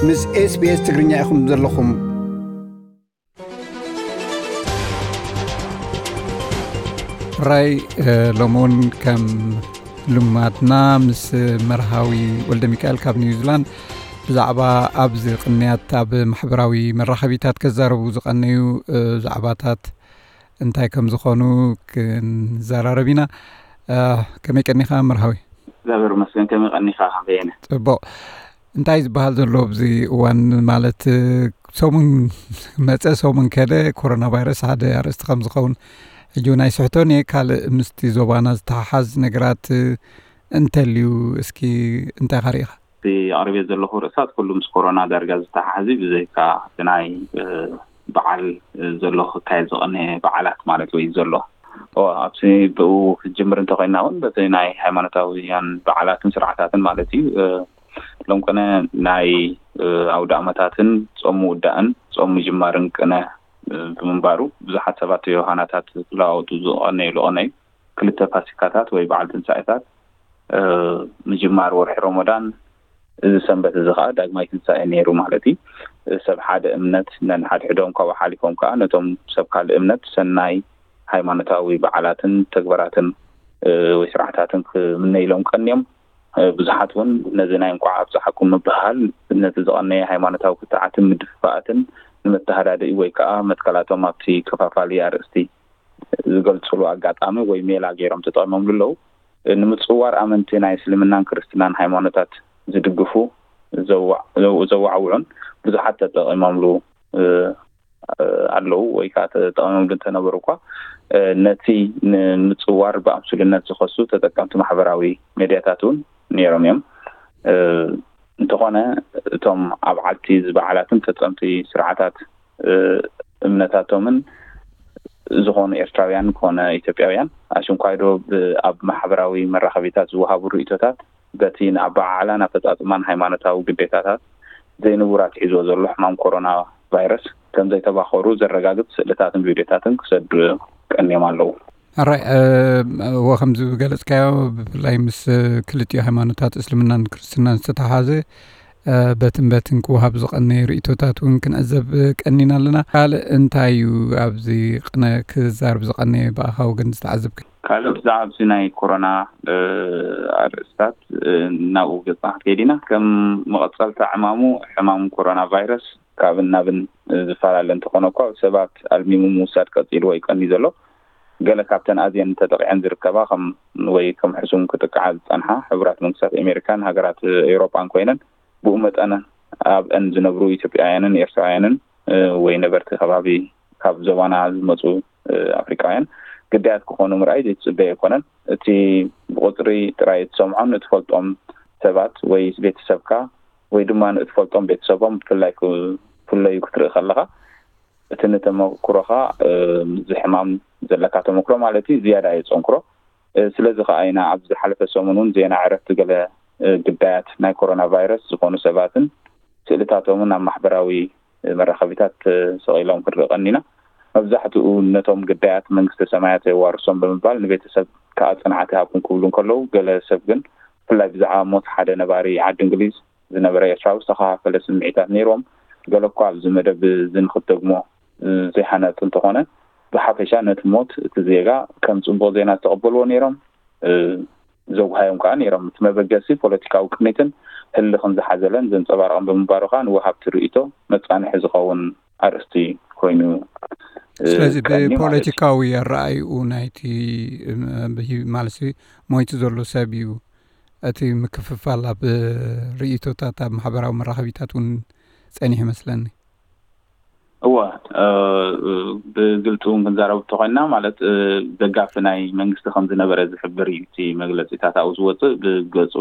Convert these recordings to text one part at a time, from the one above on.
ምስ SBS ትግርኛ ኢኹም ዘለኹም። ራይ ሎሚ እውን ከም ልማድና ምስ መርሃዊ ወልደ ሚካኤል ካብ ኒውዚላንድ ብዛዕባ ኣብዚ ቅንያት ኣብ ማሕበራዊ መራኸቢታት ከዛረቡ ዝቐነዩ ዛዕባታት እንታይ ከም ዝኾኑ ክንዘራረብ ኢና። ከመይ ቀኒኻ መርሃዊ? እግዚኣብሔር ይመስገን። ከመይ ቀኒኻ በየነ? ጽቡቕ። እንታይ ዝበሃል ዘሎ ኣብዚ እዋን? ማለት ሰሙን መጸ ሰሙን ከደ ኮሮና ቫይረስ ሓደ ኣርእስቲ ከም ዝኸውን ሕጂ እውን ኣይስሕቶን እየ። ካልእ ምስቲ ዞባና ዝተሓሓዝ ነገራት እንተልዩ እስኪ እንታይ ኢኻ ርኢኻ? እቲ ኣቕሪበ ዘለኹ ርእሳት ኩሉ ምስ ኮሮና ዳርጋ ዝተሓሓዝ እዩ፣ ብዘይካ እቲ ናይ በዓል ዘሎ ክካየድ ዝቐነየ በዓላት ማለት ወይ ዘሎ ኣብቲ ብኡ ክጅምር እንተኮይና እውን በቲ ናይ ሃይማኖታውያን በዓላትን ስርዓታትን ማለት እዩ። ሎም ቅነ ናይ ኣውደ ኣመታትን ጾም ምውዳእን ጾም ምጅማርን ቅነ ብምንባሩ ብዙሓት ሰባት ዮሃናታት ክለዋወጡ ዝቐነየሉ ቅነ እዩ። ክልተ ፋሲካታት ወይ በዓል ትንሳኤታት ምጅማር ወርሒ ሮሞዳን እዚ ሰንበት እዚ ከዓ ዳግማይ ትንሳኤ ነይሩ ማለት እዩ። ሰብ ሓደ እምነት ነንሓድሕዶም ካብኡ ሓሊፎም ከዓ ነቶም ሰብ ካልእ እምነት ሰናይ ሃይማኖታዊ በዓላትን ተግባራትን ወይ ስርዓታትን ክምነይሎም ቀንዮም። ብዙሓት እውን ነዚ ናይ እንኳዕ ኣብፀሓኩም ምብሃል ነቲ ዝቐነየ ሃይማኖታዊ ክትዓትን ምድፍፋኣትን ንመተሃዳድኢ ወይ ከዓ መትከላቶም ኣብቲ ከፋፋሊ ኣርእስቲ ዝገልፅሉ ኣጋጣሚ ወይ ሜላ ገይሮም ተጠቂሞምሉ ኣለዉ። ንምፅዋር ኣመንቲ ናይ እስልምናን ክርስትናን ሃይማኖታት ዝድግፉ ዘዋዕውዑን ብዙሓት ተጠቂሞምሉ ኣለዉ ወይ ከዓ ተጠቂሞምሉ እንተነበሩ እኳ ነቲ ንምፅዋር ብኣምስሉነት ዝኸሱ ተጠቀምቲ ማሕበራዊ ሜድያታት እውን ነይሮም እዮም። እንተኾነ እቶም ኣብ ዓልቲ ዝበዓላትን ፈፀምቲ ስርዓታት እምነታቶምን ዝኾኑ ኤርትራውያን ኮነ ኢትዮጵያውያን ኣሽንኳይዶ ኣብ ማሕበራዊ መራኸቢታት ዝወሃቡ ርእቶታት በቲ ንኣበዓዕላን ኣፈፃፅማን ሃይማኖታዊ ግዴታታት ዘይንቡር ኣትሒዝዎ ዘሎ ሕማም ኮሮና ቫይረስ ከም ዘይተባኸሩ ዘረጋግፅ ስእልታትን ቪድዮታትን ክሰዱ ቀንዮም ኣለዉ። ኣራይ እወ ከምዚ ዝገለፅካዮ ብፍላይ ምስ ክልቲኡ ሃይማኖታት እስልምናን ክርስትናን ዝተተሓዘ በትን በትን ክወሃብ ዝቐነየ ርእቶታት እውን ክንዕዘብ ቀኒና ኣለና። ካልእ እንታይ እዩ ኣብዚ ቅነ ክዛርብ ዝቐነየ ብኣኻ ወገን ዝተዓዘብካ? ካልእ ብዛዕባ ኣብዚ ናይ ኮሮና ኣርእስታት ናብኡ ገፅና ክትከይድ ኢና። ከም መቐፀልታ ዕማሙ ሕማም ኮሮና ቫይረስ ካብን ናብን ዝፈላለ እንተኾነ እኳ ሰባት ኣልሚሙ ምውሳድ ቀፂሉ ወይ ቀኒ ዘሎ ገለ ካብተን ኣዝየን ተጠቂዐን ዝርከባ ከም ወይ ከም ሕሱም ክጥቅዓ ዝፀንሓ ሕቡራት መንግስታት ኣሜሪካን ሃገራት ኤውሮጳን ኮይነን ብኡ መጠን ኣብአን ዝነብሩ ኢትዮጵያውያንን ኤርትራውያንን ወይ ነበርቲ ከባቢ ካብ ዞባና ዝመፁ ኣፍሪቃውያን ግዳያት ክኾኑ ምርኣይ ዘይትፅበ ኣይኮነን። እቲ ብቁፅሪ ጥራይ እትሰምዖን እትፈልጦም ሰባት ወይ ቤተሰብካ ወይ ድማ ንእትፈልጦም ቤተሰቦም ብፍላይ ክፍለዩ ክትርኢ ከለኻ እቲ ንተመክሮኻ እዚ ሕማም ዘለካ ተመክሮ ማለት እዩ ዝያዳ የፀንክሮ። ስለዚ ከዓ ኢና ኣብ ዝሓለፈ ሰሙን እውን ዜና ዕረፍቲ ገለ ግዳያት ናይ ኮሮና ቫይረስ ዝኾኑ ሰባትን ስእልታቶምን ኣብ ማሕበራዊ መራኸቢታት ተሰቒሎም ክንርኢ ቀኒና። መብዛሕትኡ ነቶም ግዳያት መንግስተ ሰማያት የዋርሶም ብምባል ንቤተሰብ ከዓ ፅንዓት ይሃብኩም ክብሉ እንከለዉ ገለ ሰብ ግን ብፍላይ ብዛዕባ ሞት ሓደ ነባሪ ዓዲ እንግሊዝ ዝነበረ ኤርትራዊ ዝተኸፋፈለ ስምዒታት ነይርዎም። ገለ እኳ ኣብዚ መደብ እዚ ንክትደግሞ ዘይሃነፅ እንተኾነ ብሓፈሻ ነቲ ሞት እቲ ዜጋ ከም ፅቡቕ ዜና ዝተቐበልዎ ነይሮም። ዘጉሃዮም ከዓ ነይሮም። እቲ መበገሲ ፖለቲካዊ ቅኒትን ህልኽን ዝሓዘለን ዘንፀባረቐን ብምንባሩ ከዓ ንወሃብቲ ርእይቶ መፃንሒ ዝኸውን ኣርእስቲ ኮይኑ ስለዚ ብፖለቲካዊ ኣረኣይኡ ናይቲ ማለት ሞይቱ ዘሎ ሰብ እዩ እቲ ምክፍፋል ኣብ ርእይቶታት ኣብ ማሕበራዊ መራኸቢታት እውን ጸኒሑ ይመስለኒ። እወ፣ ብግልፂ እውን ክንዛረብ እንተኮይና ማለት ደጋፊ ናይ መንግስቲ ከም ዝነበረ ዝሕብር እዩ እቲ መግለፂታት ኣብኡ ዝወፅእ። ብገፁ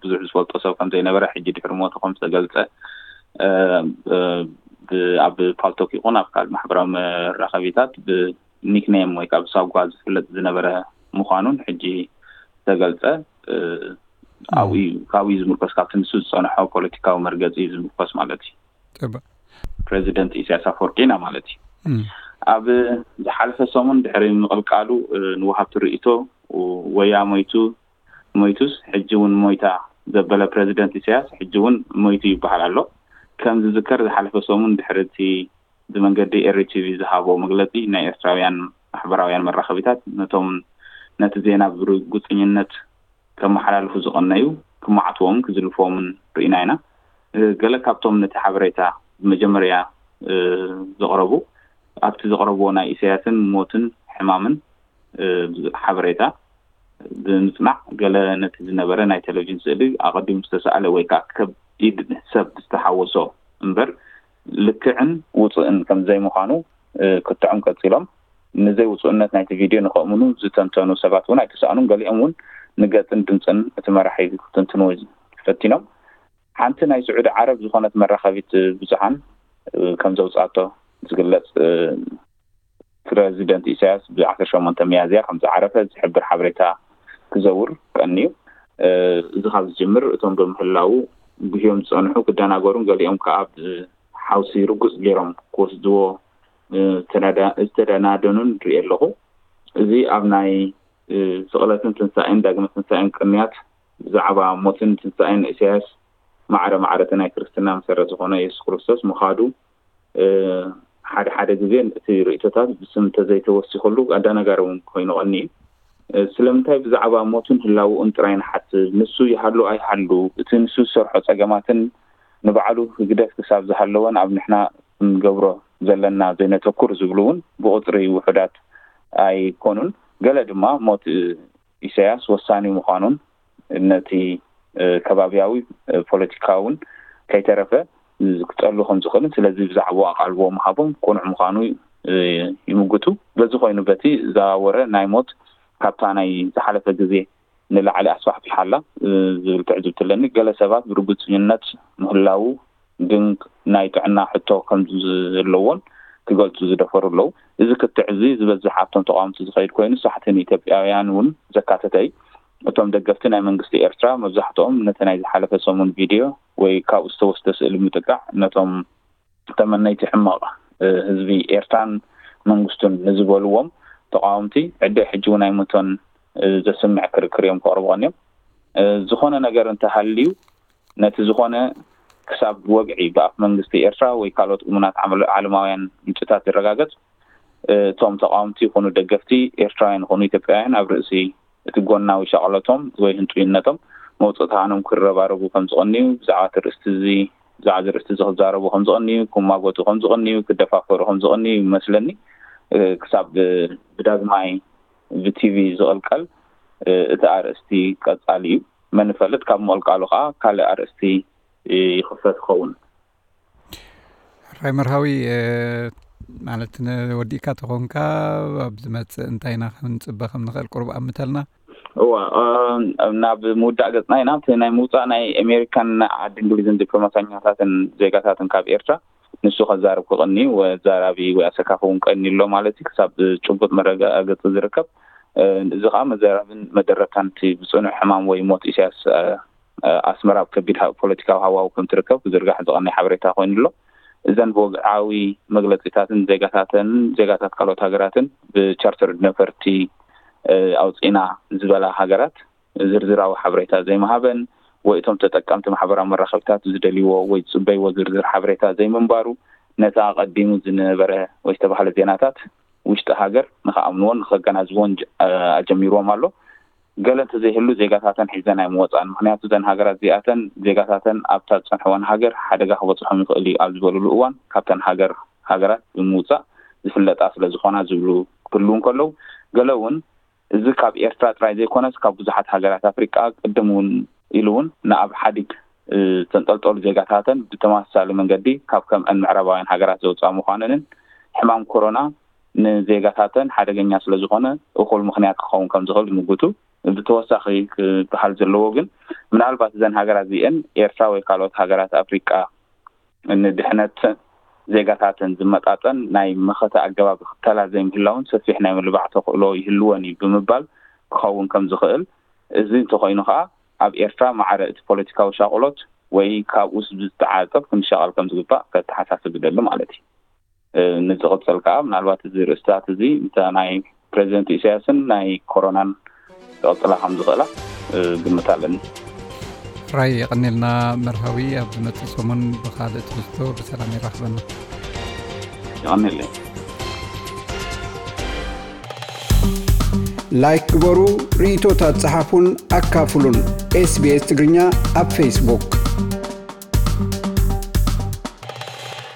ብዙሕ ዝፈልጦ ሰብ ከም ዘይነበረ ሕጂ ድሕሪ ሞቱ ከም ዝተገልፀ ኣብ ፓልቶክ ይኹን ኣብ ካልእ ማሕበራዊ መራኸቢታት ብኒክኔም ወይ ከዓ ብሳጓ ዝፍለጥ ዝነበረ ምዃኑን ሕጂ ዝተገልፀ ኣብኡ እዩ። ካብኡ እዩ ዝምርኮስ፣ ካብቲ ንሱ ዝፀንሖ ፖለቲካዊ መርገፂ እዩ ዝምርኮስ ማለት እዩ። ፕሬዚደንት ኢሳያስ ኣፈወርቂ ኢና ማለት እዩ። ኣብ ዝሓለፈ ሰሙን ድሕሪ ምቕልቃሉ ንወሃብቲ ርእይቶ ወያ ሞይቱ ሞይቱስ ሕጂ እውን ሞይታ ዘበለ ፕሬዚደንት ኢሳያስ ሕጂ እውን ሞይቱ ይበሃል ኣሎ። ከም ዝዝከር ዝሓለፈ ሰሙን ድሕሪ እቲ ብመንገዲ ኤሪ ቲቪ ዝሃቦ መግለጺ፣ ናይ ኤርትራውያን ማሕበራውያን መራኸቢታት ነቶም ነቲ ዜና ብርግጽኝነት ከመሓላልፉ ዝቐነዩ ክመዓትዎምን ክዝልፍዎምን ርኢና ኢና። ገለ ካብቶም ነቲ ሓበሬታ ብመጀመርያ ዘቕረቡ ኣብቲ ዘቕረብዎ ናይ ኢሳያስን ሞትን ሕማምን ሓበሬታ ብምጽናዕ፣ ገለ ነቲ ዝነበረ ናይ ቴሌቪዥን ስእሊ ኣቐዲሙ ዝተሳእለ ወይ ከዓ ከቢድ ሰብ ዝተሓወሶ እምበር ልክዕን ውጹእን ከም ዘይምዃኑ ክትዖም ቀጺሎም። ንዘይውጹእነት ናይቲ ቪድዮ ንኸእምኑ ዝተንተኑ ሰባት እውን ኣይተሳእኑን። ገሊኦም እውን ንገጽን ድምጽን እቲ መራሒ ክትንትንዎ ፈቲኖም። ሓንቲ ናይ ስዑዲ ዓረብ ዝኾነት መራኸቢት ብዙሓን ከም ዘውጻቶ ዝግለጽ ፕረዚደንት ኢሳያስ ብ ዓሰርተ ሸሞንተ ሚያዝያ ከም ዝዓረፈ ዝሕብር ሓበሬታ ክዘውር ቀንዩ። እዚ ካብ ዝጅምር እቶም ብምህላዉ ጉህዮም ዝጸንሑ ክደናገሩን ገሊኦም ከኣ ብሓውሲ ርጉጽ ገይሮም ክወስድዎ ዝተደናደኑን ርኢ ኣለኹ። እዚ ኣብ ናይ ስቕለትን ትንሳኤን ዳግመ ትንሳኤን ቅንያት ብዛዕባ ሞትን ትንሳኤን ኢሳያስ ማዕረ ማዕረቲ ናይ ክርስትና መሰረት ዝኾነ የሱስ ክርስቶስ ምኻዱ ሓደ ሓደ ግዜ እቲ ርእይቶታት ብስም እንተዘይተወሲኹሉ ኣደናጋሪ እውን ኮይኑ ቀኒ እዩ። ስለምንታይ ብዛዕባ ሞቱን ህላውኡን ጥራይ ንሓስብ? ንሱ ይሃሉ ኣይሃሉ፣ እቲ ንሱ ዝሰርሖ ጸገማትን ንባዕሉ ህግደፍ ክሳብ ዝሃለወን ኣብ ንሕና ክንገብሮ ዘለና ዘይነተኩር ዝብሉ እውን ብቑጽሪ ውሑዳት ኣይኮኑን። ገለ ድማ ሞት ኢሳያስ ወሳኒ ምዃኑን ነቲ ከባብያዊ ፖለቲካውን ከይተረፈ ክጸሉ ከም ዝኽእልን ስለዚ ብዛዕባኡ ኣቓልቦ ምሃቦም ቅኑዕ ምዃኑ ይምጉቱ። በዚ ኮይኑ በቲ ዝዛወረ ናይ ሞት ካብታ ናይ ዝሓለፈ ግዜ ንላዕሊ ኣስፋሕፊሓ ኣላ ዝብል ትዕዝብቲ ኣለኒ። ገለ ሰባት ብርግጽነት ምህላዉ ግን ናይ ጥዕና ሕቶ ከም ዘለዎን ክገልጹ ዝደፈሩ ኣለዉ። እዚ ክትዕ እዚ ዝበዝሕ ኣብቶም ተቓወምቲ ዝኸይድ ኮይኑ ሳሕቲ ንኢትዮጵያውያን እውን ዘካተተ እዩ። እቶም ደገፍቲ ናይ መንግስቲ ኤርትራ መብዛሕትኦም ነቲ ናይ ዝሓለፈ ሰሙን ቪድዮ ወይ ካብኡ ዝተወስደ ስእሊ ብምጥቃዕ ነቶም ተመነይቲ ሕመቕ ህዝቢ ኤርትራን መንግስቱን ንዝበልዎም ተቓወምቲ ዕደ ሕጂ እውን ኣይሞቶን ዘስምዕ ክርክር እዮም ከቕርቡ ቀንዮም። ዝኾነ ነገር እንተሃልዩ ነቲ ዝኾነ ክሳብ ወግዒ ብኣፍ መንግስቲ ኤርትራ ወይ ካልኦት እሙናት ዓለማውያን ምንጭታት ዝረጋገጽ እቶም ተቓወምቲ ይኹኑ ደገፍቲ ኤርትራውያን ይኹኑ ኢትዮጵያውያን ኣብ ርእሲ እቲ ጎናዊ ሻቕሎቶም ወይ ህንጡይነቶም መውፅእታኖም ክረባረቡ ከም ዝቐንዩ ብዛዕባ እቲ ርእስቲ እዚ ብዛዕባ እዚ ርእስቲ እዚ ክዛረቡ ከም ዝቐንዩ ክማጎቱ ከም ዝቐንዩ ክደፋፈሩ ከም ዝቐንዩ ይመስለኒ። ክሳብ ብዳግማይ ብቲቪ ዝቕልቀል እቲ ኣርእስቲ ቀጻሊ እዩ። መን ይፈልጥ ካብ ምቕልቃሉ ከዓ ካልእ ኣርእስቲ ይኽፈት ይኸውን። ሕራይ መርሃዊ ማለት ወዲእካ ተኾንካ ኣብ ዝመፅእ እንታይ ኢና ክንፅበ ከም ንኽእል ቁሩብ ኣምተልና። እዋ ናብ ምውዳእ ገፅና ኢና። እቲ ናይ ምውፃእ ናይ ኣሜሪካን ዓዲ እንግሊዝን ዲፕሎማሰኛታትን ዜጋታትን ካብ ኤርትራ ንሱ ከዛርብ ክቐኒ ወዛራቢ ወይ ኣሰካፊ እውን ቀኒ ኣሎ ማለት እዩ። ክሳብ ጭቡጥ መረጋገፂ ዝርከብ እዚ ከዓ መዘራብን መደረብታን እቲ ብፅኑዕ ሕማም ወይ ሞት ኢሳያስ ኣስመራ ኣብ ከቢድ ፖለቲካዊ ሃዋው ከም ትርከብ ክዝርጋሕ ዝቐነየ ሓበሬታ ኮይኑ ኣሎ። እዘን ብወግዓዊ መግለፂታትን ዜጋታተን ዜጋታት ካልኦት ሃገራትን ብቻርተር ነፈርቲ ኣውፂና ዝበላ ሃገራት ዝርዝራዊ ሓበሬታ ዘይምሃበን ወይ እቶም ተጠቀምቲ ማሕበራዊ መራኸብታት ዝደልይዎ ወይ ዝፅበይዎ ዝርዝር ሓበሬታ ዘይምንባሩ ነቲ ኣቐዲሙ ዝነበረ ወይ ዝተባህለ ዜናታት ውሽጢ ሃገር ንክኣምንዎን ንከገናዝብዎን ኣጀሚርዎም ኣሎ። ገለ እንተዘይህሉ ዜጋታተን ሒዘን ኣይምወፃን። ምክንያቱ እዘን ሃገራት እዚኣተን ዜጋታተን ኣብታ ዝፀንሕወን ሃገር ሓደጋ ክበፅሖም ይኽእል እዩ ኣብ ዝበልሉ እዋን ካብተን ሃገር ሃገራት ብምውፃእ ዝፍለጣ ስለዝኾና ዝብሉ ክህልው እንከለዉ ገለ እውን እዚ ካብ ኤርትራ ጥራይ ዘይኮነስ ካብ ብዙሓት ሃገራት ኣፍሪቃ ቅድም እውን ኢሉ እውን ንኣብ ሓዲግ ዝተንጠልጠሉ ዜጋታተን ብተመሳሳሊ መንገዲ ካብ ከምአን ምዕራባውያን ሃገራት ዘውፅኣ ምዃነንን ሕማም ኮሮና ንዜጋታተን ሓደገኛ ስለዝኾነ እኹል ምኽንያት ክኸውን ከም ዝኽእል ይምጉቱ። ብተወሳኺ ክበሃል ዘለዎ ግን ምናልባት እዘን ሃገራት እዚአን ኤርትራ ወይ ካልኦት ሃገራት ኣፍሪቃ ንድሕነት ዜጋታተን ዝመጣጠን ናይ መኸተ ኣገባብ ይኽተላ ዘይምህላውን ሰፊሕ ናይ ምልባዕ ተኽእሎ ይህልወን እዩ ብምባል ክኸውን ከም ዝኽእል፣ እዚ እንተኾይኑ ከኣ ኣብ ኤርትራ ማዕረ እቲ ፖለቲካዊ ሻቕሎት ወይ ካብኡስ ብዝተዓጸፍ ክንሻቐል ከም ዝግባእ ከተሓሳስብ ይደሊ ማለት እዩ። ንዝቕጽል ከኣ ምናልባት እዚ ርእስታት እዚ እታ ናይ ፕረዚደንት ኢሳያስን ናይ ኮሮናን ክቕጽላ ከም ዝኽእላ ግምት ኣለኒ። ራይ የቐኔልና መርሃዊ። ኣብ ዝመጽእ ሰሙን ብኻልእ ትሕዝቶ ብሰላም ይራኽበና። የቐኔለይ። ላይክ ግበሩ፣ ርእይቶታት ጸሓፉን ኣካፍሉን። ኤስቢኤስ ትግርኛ ኣብ ፌስቡክ።